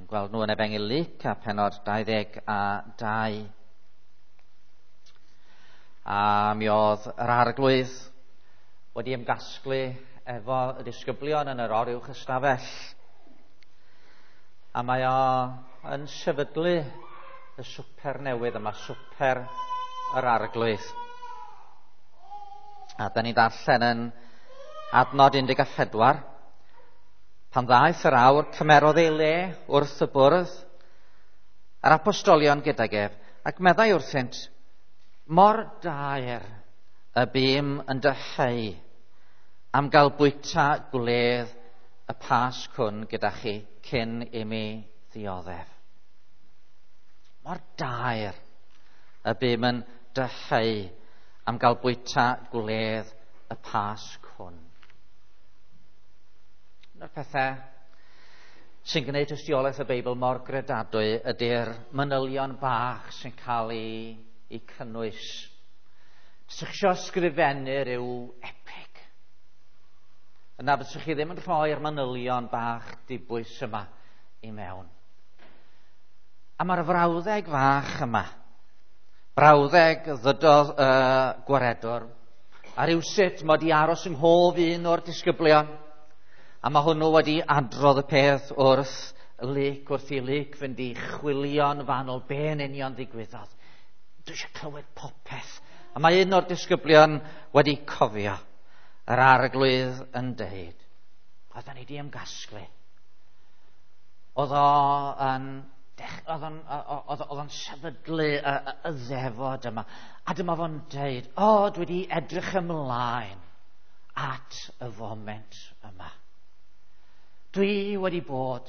Chi'n gweld nhw yn Efengyl Luc a pennod 22. A mi oedd yr Arglwydd wedi ymgasglu efo y disgyblion yn yr oruwch ystafell. A mae o yn sefydlu y swper newydd yma, swper yr Arglwydd. A da ni'n darllen yn adnod 14. Pan ddaeth yr awr, cymerodd ei le wrth y bwrdd, a'r apostolion gydag ef, ac meddai wrthynt, mor daer y bûm yn dyheu am gael bwyta gwledd y Pasg hwn gyda chi cyn i mi ddioddef. Mor daer y bûm yn dyheu am gael bwyta gwledd y Pasg hwn. Un o'r pethau sy'n gwneud tystiolaeth y Beibl mor gredadwy ydy'r manylion bach sy'n cael ei cynnwys. Os ych chi eisiau ysgrifennu rhyw epig, yna fyswch chi ddim yn rhoi'r manylion bach dibwys yma i mewn. A mae'r frawddeg fach yma, brawddeg ddydodd y gwaredwr, a rywsut mod i aros yng nghof un o'r disgyblion, a mae hwnnw wedi adrodd y peth wrth Luc, wrth i Luc fynd i chwilio'n fanwl be yn union ddigwyddodd. Dwi eisiau clywed popeth. A mae un o'r disgyblion wedi cofio yr Arglwydd yn deud, oedden ni di ymgasglu. Oedd o'n sefydlu y ddefod yma. A dyma fo'n deud, o, dwi wedi edrych ymlaen at y foment yma. Dwi wedi bod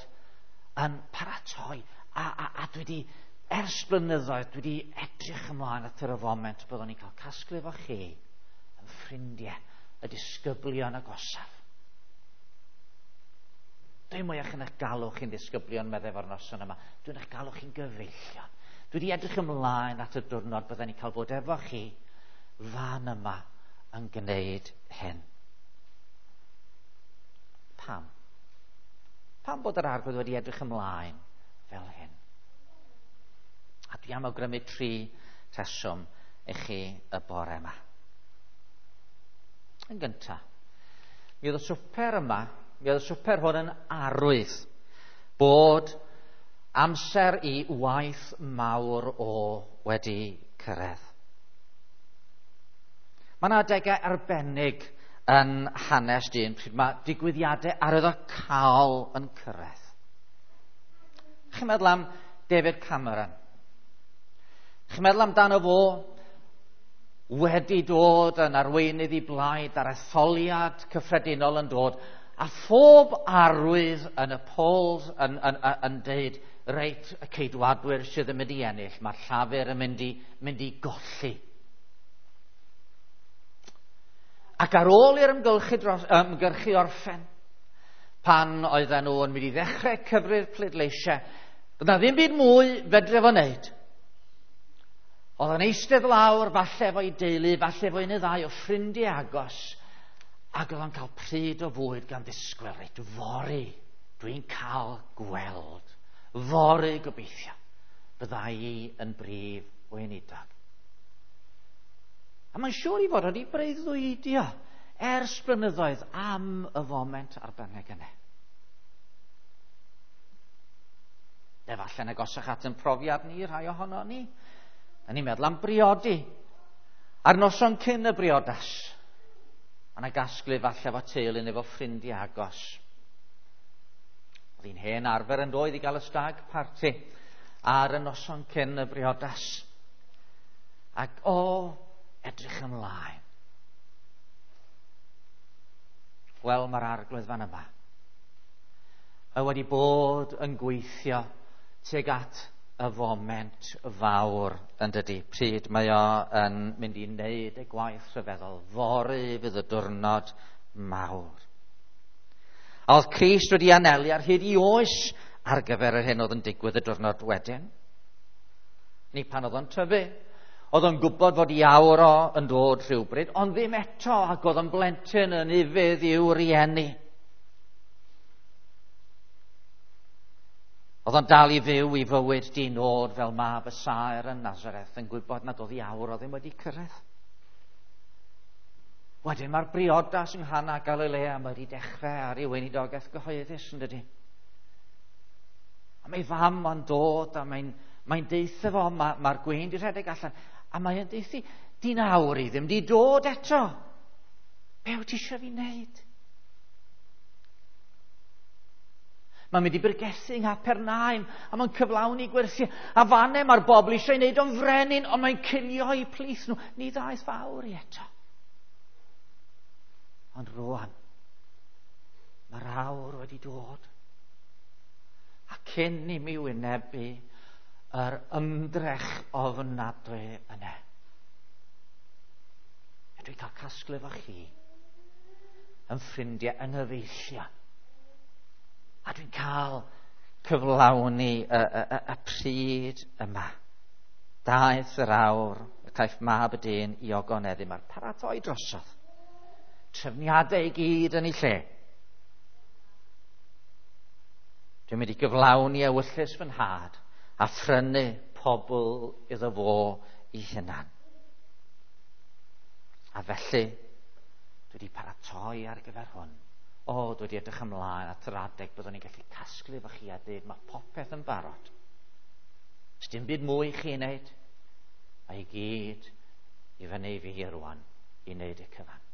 yn paratoi a dwi wedi, ers blynyddoedd, dwi wedi edrych ymlaen at yr foment byddwn ni'n cael casglu efo chi yn ffrindiau, y disgyblion agosaf. Dwi'n mwyach yn eich galw chi'n ddisgyblion, meddai fo'r noson yma. Dwi'n eich galw chi'n gyfeillion. Dwi wedi edrych ymlaen at y diwrnod byddwn ni'n cael bod efo chi fan yma yn gwneud hyn. Pam? Pam bod yr Arglwydd wedi edrych ymlaen fel hyn? A dwi am awgrymu 3 rheswm i chi y bore yma. Yn gyntaf, mi oedd y swper yma, mi oedd y swper hwn yn arwydd bod amser i waith mawr o wedi cyrraedd. Mae yna adegau arbennig yn hanes dyn pryd mae digwyddiadau arwyddocaol yn cyrraedd. Chi'n meddwl am David Cameron? Chi'n meddwl amdano fo wedi dod yn arweinydd i blaid a'r etholiad cyffredinol yn dod, a phob arwydd yn y polls yn deud, reit, y Ceidwadwyr sydd yn mynd i ennill, mae'r Llafur yn mynd i golli. Ac ar ôl i'r ymgyrchu orffen, pan oedden nhw yn mynd i ddechrau cyfri'r pleidleisiau, doedd 'na ddim byd mwy fedre fo wneud. Oedd o'n eistedd lawr, falle efo'i deulu, falle efo un neu ddau o ffrindiau agos, ac oedd o'n cael pryd o fwyd gan ddisgwyl, reit, fory, dwi'n cael gweld, fory gobeithio, byddai i yn brif weinidog. A mae'n siŵr i fod wedi breuddwydio ers blynyddoedd am y foment arbennig yna. Efallai'n agosach at yn profiad ni, rhai ohono ni. Da ni'n meddwl am briodi. A'r noson cyn y briodas, mae yna gasglu falle efo teulu neu efo ffrindiau agos. Oedd hi'n hen arfer yn doedd i gael y stag party ar y noson cyn y briodas. Ac o, edrych ymlaen. Wel, mae'r Arglwydd fan yma. Mae wedi bod yn gweithio tuag at y foment fawr yn dydi. Pryd mae o yn mynd i wneud y gwaith rhyfeddol. Fory fydd y diwrnod mawr. A oedd Crist wedi anelu ar hyd i oes ar gyfer yr hyn oedd yn digwydd y diwrnod wedyn. Ni pan oedd o'n tyfu. Oedd o'n gwybod fod i awr o yn dod rhywbryd, ond ddim eto, ac oedd o'n blentyn yn ufudd i'w rieni. Oedd o'n dal i fyw i fywyd di nod fel mab y saer yn Nazareth yn gwybod nad oedd ei awr o ddim wedi cyrraedd. Wedyn mae'r briodas yng Nghana Galilea mae wedi dechrau ar ei weinidogaeth gyhoeddus yn dydy. A mae fam o'n dod a mae'n mae deutha fo, mae'r mae gwyn di rhedeg allan, a mae'n deuthu, di'n awr i ddim di dod eto. Be wyt ti eisiau fi wneud? Mae'n mynd i bregethu yng Nghapernaum a mae'n cyflawni gwersi. A fanne mae'r bobl eisiau ei wneud o'n frenin, ond mae'n cilio i plith nhw. Ni ddaeth fawr i eto. Ond rwan, mae'r awr wedi dod. A cyn i mi wynebu yr ymdrech ofnadwy yna, dwi'n cael casglu efo chi yn ffrindiau, yng nghyfeillion. A dwi'n cael cyflawni y, y, y, y pryd yma. Daeth yr awr y caiff mab y dyn i ogoneddu. Mae'r paratoi drosodd. Trefniadau i gyd yn ei lle. Dwi'n mynd i gyflawni ewyllys fy nhad a phrynu pobl iddo fo i hunan. A felly, dwi wedi paratoi ar gyfer hwn. O, dwi wedi edrych ymlaen at yr adeg byddwn ni'n gallu casglu efo chi a dweud mae popeth yn barod. Does dim byd mwy i chi wneud. Mae i gyd i fyny i fi rwan i wneud y cyfan.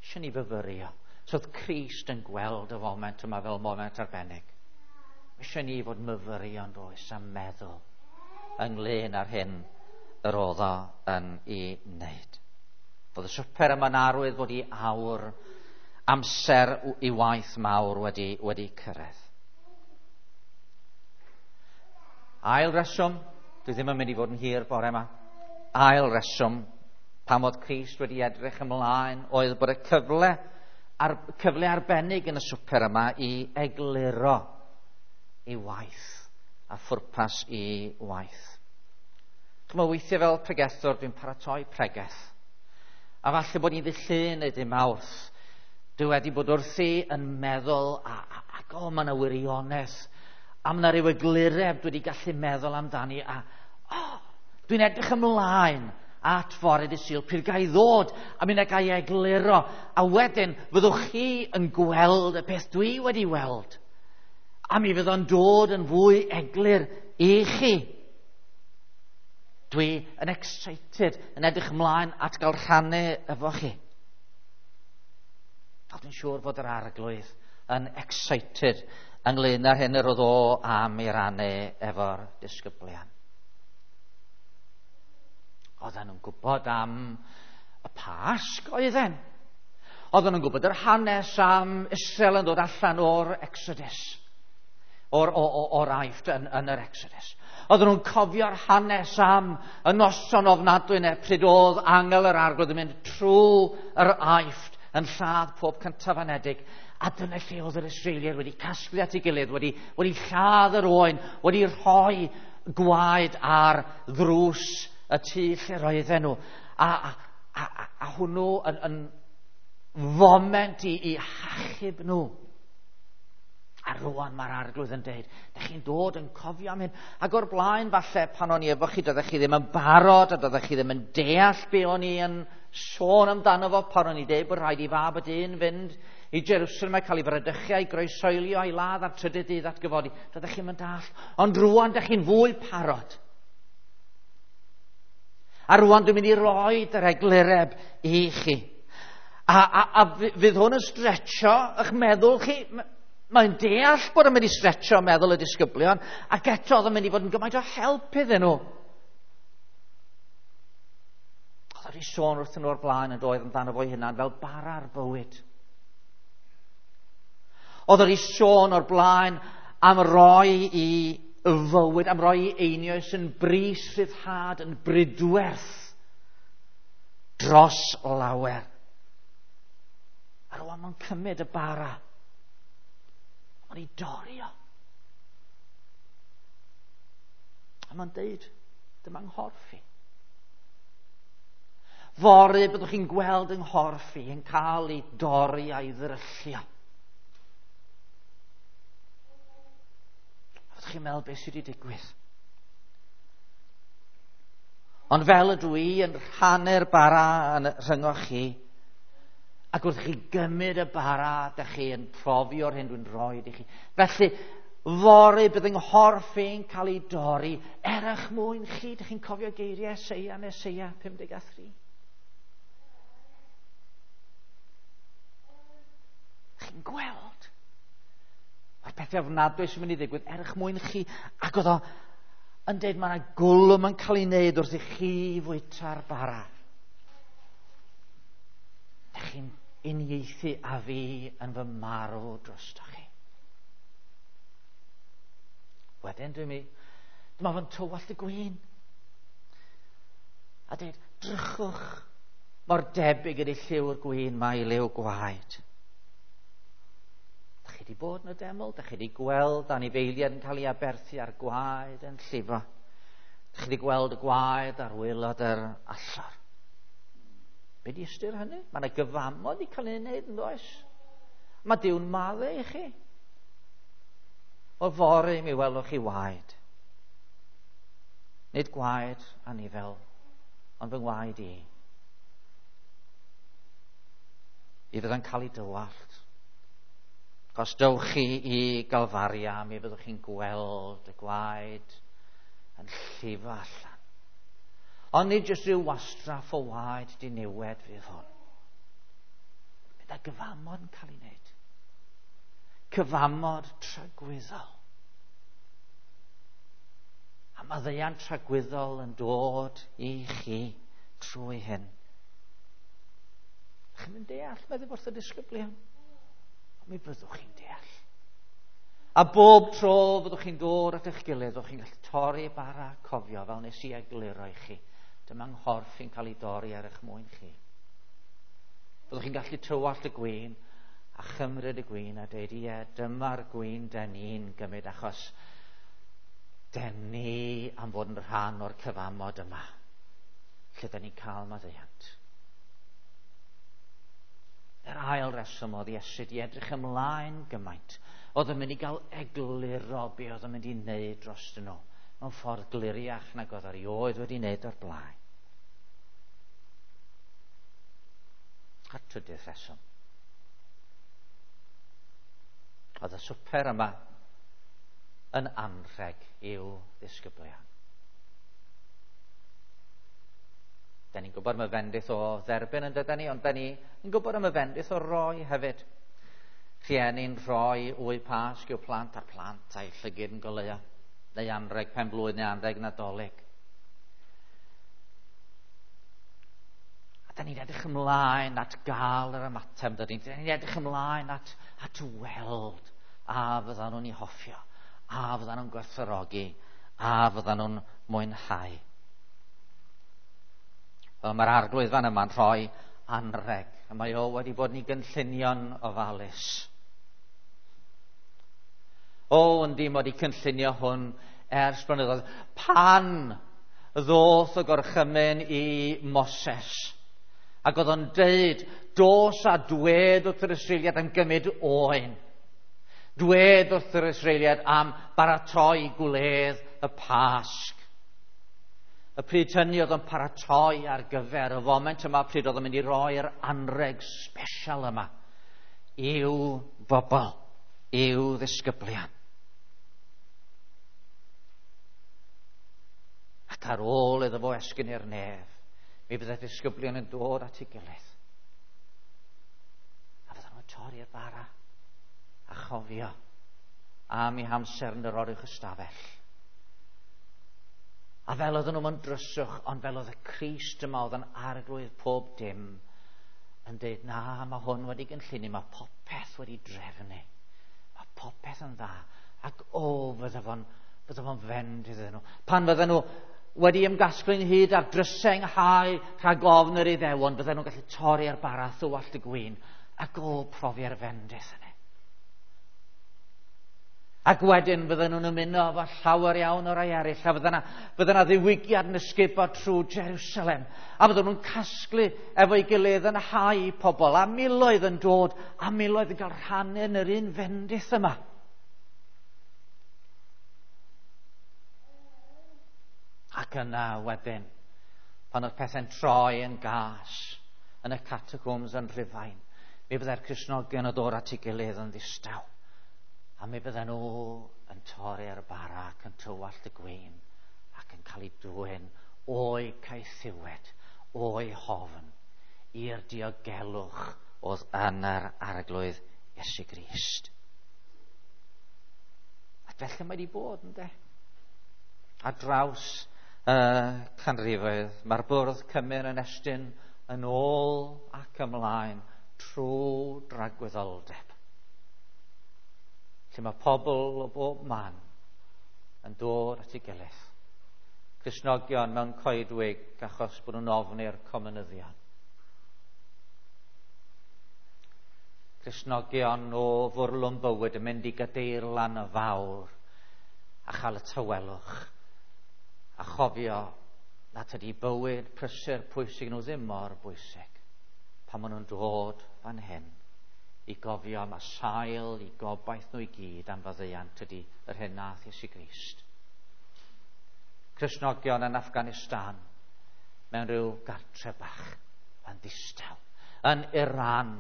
Eisiau ni fyfyrio. So oedd Crist yn gweld y foment yma fel moment arbennig. Eisiau ni fod myfyrio yn does a meddwl ynglyn â'r hyn yr oedd o yn ei wneud. Oedd y swper yma'n arwydd bod i awr amser i waith mawr wedi, wedi cyrraedd. Ail reswm, dwi ddim yn mynd i fod yn hir bore yma. Ail reswm, pam oedd Crist wedi edrych ymlaen, oedd bod y cyfle, ar, cyfle arbennig yn y swper yma i egluro ei waith a phwrpas i waith. Chymod, weithiau fel pregethwr, dwi'n paratoi pregeth. A falle bod ni'n ddydd Llun neu dydd Mawrth. Dwi wedi bod wrthi yn meddwl, a, a, ac o, mae yna wirionedd. A mae yna rhyw eglureb dwi wedi gallu meddwl amdani. A, o, dwi'n edrych ymlaen at fore dydd Sul, pryd ga i ddod a mi na ga i egluro. A wedyn, fyddwch chi yn gweld y peth dwi wedi weld. A mi fydd o'n dod yn fwy eglur i chi. Dwi yn excited, yn edrych ymlaen at gael rhannu efo chi. A dwi'n siŵr fod yr arglwydd yn excited ynglyn â'r hyn yr oedd o am ei rannu efo'r disgyblion. Oedden nhw'n gwybod am y Pasg, oedden. Oedden nhw'n gwybod yr hanes am Israel yn dod allan o'r Exodus o'r, o'r Aifft yn, yn yr Exodus. Oedden nhw'n cofio'r hanes am y noson ofnadwy yna pryd oedd angel yr arglwydd yn mynd trwy yr Aifft yn lladd pob cyntaf anedig. A dyna lle oedd yr Israeliaid wedi casglu at ei gilydd, wedi, wedi lladd yr oen, wedi rhoi gwaed ar ddrws y tŷ lle roedden nhw. A, a, a, a hwnnw yn, yn foment i, i hachub nhw. A rwan mae'r arglwydd yn deud, da chi'n dod yn cofio am hyn. Ac o'r blaen falle pan o'n i efo chi, doeddech chi ddim yn barod a doeddech chi ddim yn deall be o'n i yn sôn amdano fo pan o'n i deud bod rhaid i fab y dyn fynd i Jerusalem a cael ei fradychu a'i groesoelio a'i ladd ar trydydd dydd atgyfodi. Doeddech chi'n mynd all. Ond rwan da chi'n fwy parod. A rwan dwi'n mynd i roi yr eglureb i chi. A, a, a fydd hwn yn stretcho eich meddwl chi. Mae'n deall bod yn mynd i stretcho meddwl y disgyblion, ac eto oedd yn mynd i fod yn gymaint o help iddyn nhw. Oedd wedi sôn wrthyn nhw o'r blaen yn doedd amdano fo'i hunan fel bara'r bywyd. Oedd wedi sôn o'r blaen am roi i fywyd, am roi i einioes yn bris rhyddhad, yn brydwerth dros lawer. A rwan mae'n cymryd y bara Mae'n ei dorri o. A mae'n deud, dyma nghorff i. Fory byddwch chi'n gweld yng nghorff i yn cael ei dorri a'i ddryllio. Ydych chi'n meddwl beth sydd wedi digwydd? Ond fel ydw i yn rhannu'r bara yn rhyngoch chi, ac wrth chi gymryd y bara, dych chi yn profi o'r hyn dwi'n rhoi i chi. Felly, fory bydd yng nghorff i'n cael ei dorri er eich mwyn chi. Dych chi'n cofio geiriau Eseia yn Eseia 53? Chi'n gweld? Mae'r pethau ofnadwy sy'n mynd i ddigwydd er eich mwyn chi. Ac oedd o yn dweud mae yna gwlwm yn cael ei wneud wrth i chi fwyta'r bara. Dych chi'n uniaethu â fi yn fy marw drostoch chi. Wedyn dwi'n mi, dyma fo'n tywallt y gwin. A dweud, drychwch mor debyg ydy lliw'r gwin mae i liw gwaed. Dych chi wedi bod yn y deml, dych chi wedi gweld anifeiliaid yn cael ei aberthu a'r gwaed yn llifo. Dych chi wedi gweld y gwaed ar waelod yr allor. Be di ystyr hynny? Mae yna gyfamod i cael ei wneud yn does? Mae Duw'n maddau i chi. O fory mi welwch chi waed. Nid gwaed anifel, ond fy ngwaed i. I fydda'n cael ei dywallt. Os dewch chi i Galfaria, mi fyddwch chi'n gweld y gwaed yn llifo allan. Ond nid jyst rhyw wastraff o waed diniwed fydd hwn. Bydd y gyfamod yn cael ei wneud. Cyfamod tragwyddol. A maddeuant tragwyddol yn dod i chi trwy hyn. Chi'n mynd deall, meddwl wrth y disgyblion. Ond mi fyddwch chi'n deall. A bob tro fyddwch chi'n dod at eich gilydd, fyddwch chi'n gallu torri bara cofio fel nes i egluro i chi. Dyma nghorff i'n cael ei dorri ar eich mwyn chi. Byddwch chi'n gallu tywallt y gwin a chymryd y gwin a dweud, ie, dyma'r gwin den ni'n gymryd achos den ni am fod yn rhan o'r cyfamod yma, lle den ni'n cael maddeuant. Yr ail reswm oedd Iesu di edrych ymlaen gymaint. Oedd yn mynd i gael egluro be oedd yn mynd i wneud dros nhw mewn ffordd gliriach nag oedd erioed wedi wneud o'r blaen. A'r trydydd rheswm. Oedd y swper yma yn anrheg i'w ddisgyblion. Da ni'n gwybod am y fendith o dderbyn yn dydyn ni, ond da ni'n gwybod am y fendith o roi hefyd. Rhieni'n rhoi wy Pasg i'w plant a'r plant a'i llygyd yn goleuo, neu anrheg pen blwydd neu anrheg Nadolig. A da ni'n edrych ymlaen at gael yr ymateb, da ni'n edrych ymlaen at, at weld a fyddan nhw'n ei hoffio, a fyddan nhw'n gwerthfawrogi, a fyddan nhw'n mwynhau. Wel, mae'r arglwydd fan yma'n rhoi anrheg, a mae o wedi bod yn ei gynllunio'n ofalus. O, yndi, mod i cynllunio hwn ers blynyddoedd. Pan ddoth y gorchymyn i Moses, ac oedd o'n deud, dos a dwed wrth yr Israeliad am gymryd oen. Dwed wrth yr Israeliad am baratoi gwledd y Pasg. Y pryd hynny oedd o'n paratoi ar gyfer y foment yma, pryd oedd o'n mynd i roi'r anrheg special yma i'w bobl, i'w ddisgyblion. Ac ar ôl iddo fo esgyn i'r nef, mi fydde disgyblion yn dod at ei gilydd. A fydden nhw'n torri'r bara a chofio am eu hamser yn yr oruwch ystafell. A fel oedden nhw mewn dryswch, ond fel oedd y Crist yma oedd yn arglwydd pob dim, yn dweud, na, mae hwn wedi gynllunio, mae popeth wedi drefnu. Mae popeth yn dda. Ac o, fydde fo'n fydde fo'n fend iddyn nhw. Pan fydden nhw wedi ymgasglu ynghyd ar drysau ynghau rhag ofn yr Iddewon, fydden nhw'n gallu torri ar bara thywallt y gwin ac o profi'r fendith yna. Ac wedyn fydden nhw'n ymuno efo llawer iawn o rai eraill, a fydden yna ddiwygiad yn ysgubo trwy Jerusalem, a fydden nhw'n casglu efo'i gilydd yn hau pobl, a miloedd yn dod, a miloedd yn cael rhan yn yr un fendith yma. Ac yna wedyn, pan oedd pethau'n troi yn gas yn y catacombs yn Rhufain, mi byddai'r Cristnogion yn dod at ei gilydd yn ddistaw. A mi bydden nhw yn torri'r bara ac yn tywallt y gwin ac yn cael ei dwyn o'i caethiwed, o'i hofn, i'r diogelwch oedd yn yr Arglwydd Iesu Grist. Ac felly mae wedi bod, ynddo? Ar draws y canrifoedd, mae'r bwrdd cymun yn estyn yn ôl ac ymlaen trwy dragwyddoldeb. Lle mae pobl o bob man yn dod at ei gilydd. Cristnogion mewn coedwig achos bod nhw'n ofni'r comunyddion. Cristnogion o fwrlwm bywyd yn mynd i gadeirlan y fawr a chael y tawelwch a chofio nad ydy bywyd prysur pwysig nhw ddim mor bwysig pan maen nhw'n dod fan hyn i gofio am y sail i gobaith nhw i gyd am faddeuant ydy yr hyn nath Iesu Grist. Cristnogion yn Afghanistan mewn rhyw gartre bach yn ddistaw, yn Iran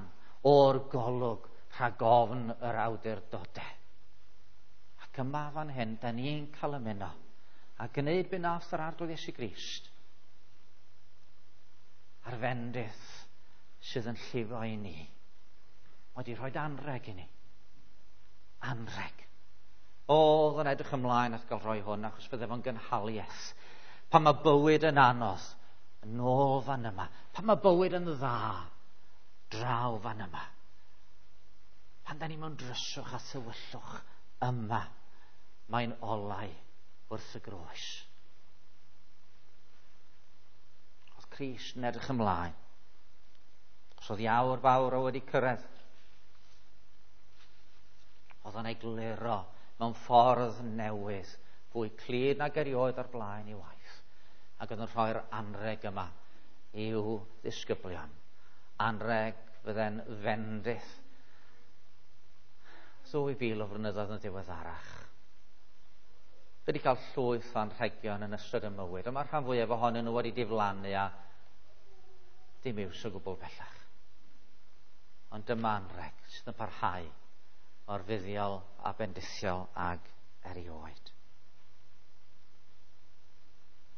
o'r golwg rhag ofn yr awdurdodau. Ac yma fan hyn, da ni'n cael ymuno a gwneud be nath yr Arglwydd Iesu Grist a'r fendith sydd yn llifo i ni. Mae wedi rhoi anreg i ni. Anreg. Oedd yn edrych ymlaen at gael rhoi hwn, achos bydde fo'n gynhaliaeth. Pan mae bywyd yn anodd, yn ôl fan yma. Pan mae bywyd yn dda, draw fan yma. Pan da ni mewn dryswch a thywyllwch yma, mae'n olau wrth y groes. Oedd Crist yn edrych ymlaen. Os oedd iawr fawr o wedi cyrraedd, oedd o'n egluro mewn ffordd newydd, fwy clyd nag erioed o'r blaen i waith. Ac oedd yn rhoi'r anreg yma i'w ddisgyblion. Anreg fydde'n fendith 2000 o flynyddoedd yn ddiweddarach. Fi wedi cael llwyth o anrhegion yn ystod y mywyd, ond mae'r rhan fwyaf ohonyn nhw wedi diflannu a dim iws o gwbl bellach. Ond dyma anreg sydd yn parhau mor fuddiol a bendithiol ag erioed.